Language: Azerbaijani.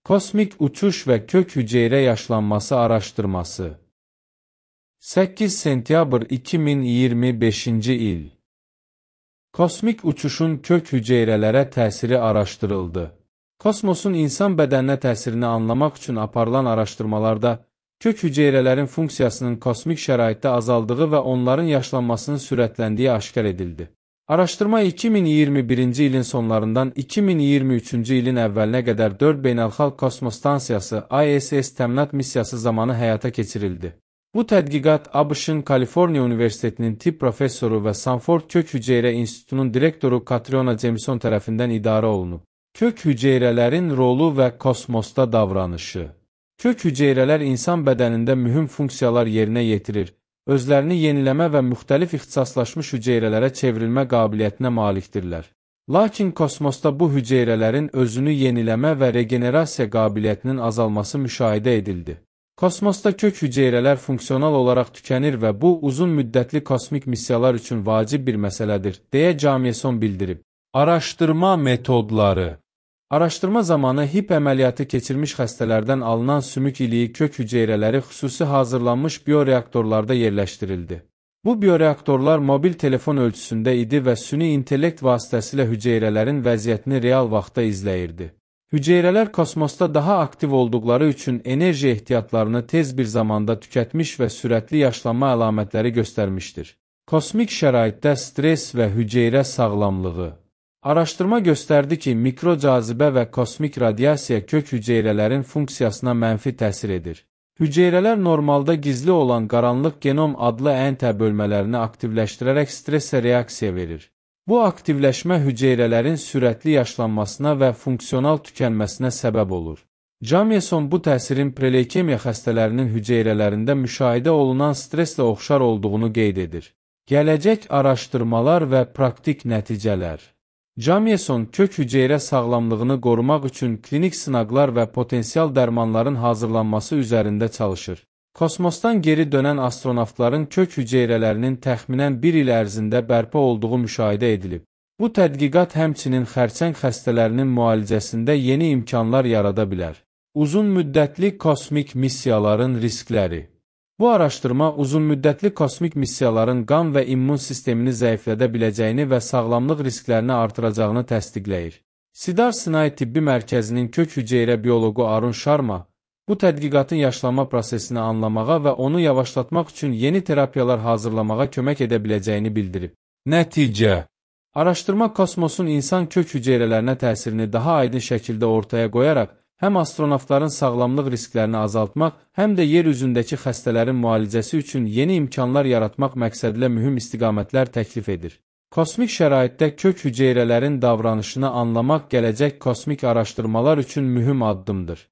Kosmik uçuş və kök hüceyrə yaşlanması araşdırması. 8 sentyabr 2025-ci il. Kosmik uçuşun kök hüceyrələrə təsiri araşdırıldı. Kosmosun insan bədəninə təsirini anlamaq üçün aparılan araşdırmalarda kök hüceyrələrin funksiyasının kosmik şəraitdə azaldığı və onların yaşlanmasının sürətləndiyi aşkar edildi. Araşdırma 2021-ci ilin sonlarından 2023-cü ilin əvvəlinə qədər 4 beynəlxalq kosmos stansiyası ISS təminat missiyası zamanı həyata keçirildi. Bu tədqiqat ABŞ-ın Kaliforniya Universitetinin tibb professoru və Sanford Kök Hüceyrə İnstitutunun direktoru Katriona Jameson tərəfindən idarə olunub. Kök hüceyrələrin rolu və kosmosda davranışı. Kök hüceyrələr insan bədənində mühüm funksiyalar yerinə yetirir. Özlərini yeniləmə və müxtəlif ixtisaslaşmış hüceyrələrə çevrilmə qabiliyyətinə malikdirlər. Lakin kosmosda bu hüceyrələrin özünü yeniləmə və regenerasiya qabiliyyətinin azalması müşahidə edildi. Kosmosda kök hüceyrələr funksional olaraq tükənir və bu uzun müddətli kosmik missiyalar üçün vacib bir məsələdir, deyə Jameson bildirib. Araşdırma metodları. Araşdırma zamanı HIP əməliyyatı keçirmiş xəstələrdən alınan sümük iliyi kök hüceyrələri xüsusi hazırlanmış bioreaktorlarda yerləşdirildi. Bu bioreaktorlar mobil telefon ölçüsündə idi və süni intellekt vasitəsilə hüceyrələrin vəziyyətini real vaxtda izləyirdi. Hüceyrələr kosmosda daha aktiv olduqları üçün enerji ehtiyatlarını tez bir zamanda tükətmiş və sürətli yaşlanma əlamətləri göstərmişdir. Kosmik şəraitdə stres və hüceyrə sağlamlığı. Araşdırma göstərdi ki, mikrocazibə və kosmik radiasiya kök hüceyrələrin funksiyasına mənfi təsir edir. Hüceyrələr normalda gizli olan qaranlıq genom adlı ən bölmələrini aktivləşdirərək stressə reaksiya verir. Bu aktivləşmə hüceyrələrin sürətli yaşlanmasına və funksional tükənməsinə səbəb olur. Jameson bu təsirin preleykemiya xəstələrinin hüceyrələrində müşahidə olunan streslə oxşar olduğunu qeyd edir. Gələcək araşdırmalar və praktik nəticələr. Jameson kök hüceyrə sağlamlığını qorumaq üçün klinik sınaqlar və potensial dərmanların hazırlanması üzərində çalışır. Kosmosdan geri dönən astronavtların kök hüceyrələrinin təxminən 1 il ərzində bərpa olduğu müşahidə edilib. Bu tədqiqat həmçinin xərçəng xəstələrinin müalicəsində yeni imkanlar yarada bilər. Uzun müddətli kosmik missiyaların riskləri. Bu araşdırma uzunmüddətli kosmik missiyaların qan və immun sistemini zəiflədə biləcəyini və sağlamlıq risklərini artıracağını təsdiqləyir. Sidar Sinai Tibbi Mərkəzinin kök hüceyrə bioloqu Arun Sharma, bu tədqiqatın yaşlanma prosesini anlamağa və onu yavaşlatmaq üçün yeni terapiyalar hazırlamağa kömək edə biləcəyini bildirib. Nəticə. Araşdırma kosmosun insan kök hüceyrələrinə təsirini daha aydın şəkildə ortaya qoyaraq, həm astronavtların sağlamlıq risklərini azaltmaq, həm də yer üzündəki xəstələrin müalicəsi üçün yeni imkanlar yaratmaq məqsədilə mühüm istiqamətlər təklif edir. Kosmik şəraitdə kök hüceyrələrin davranışını anlamaq gələcək kosmik araşdırmalar üçün mühüm addımdır.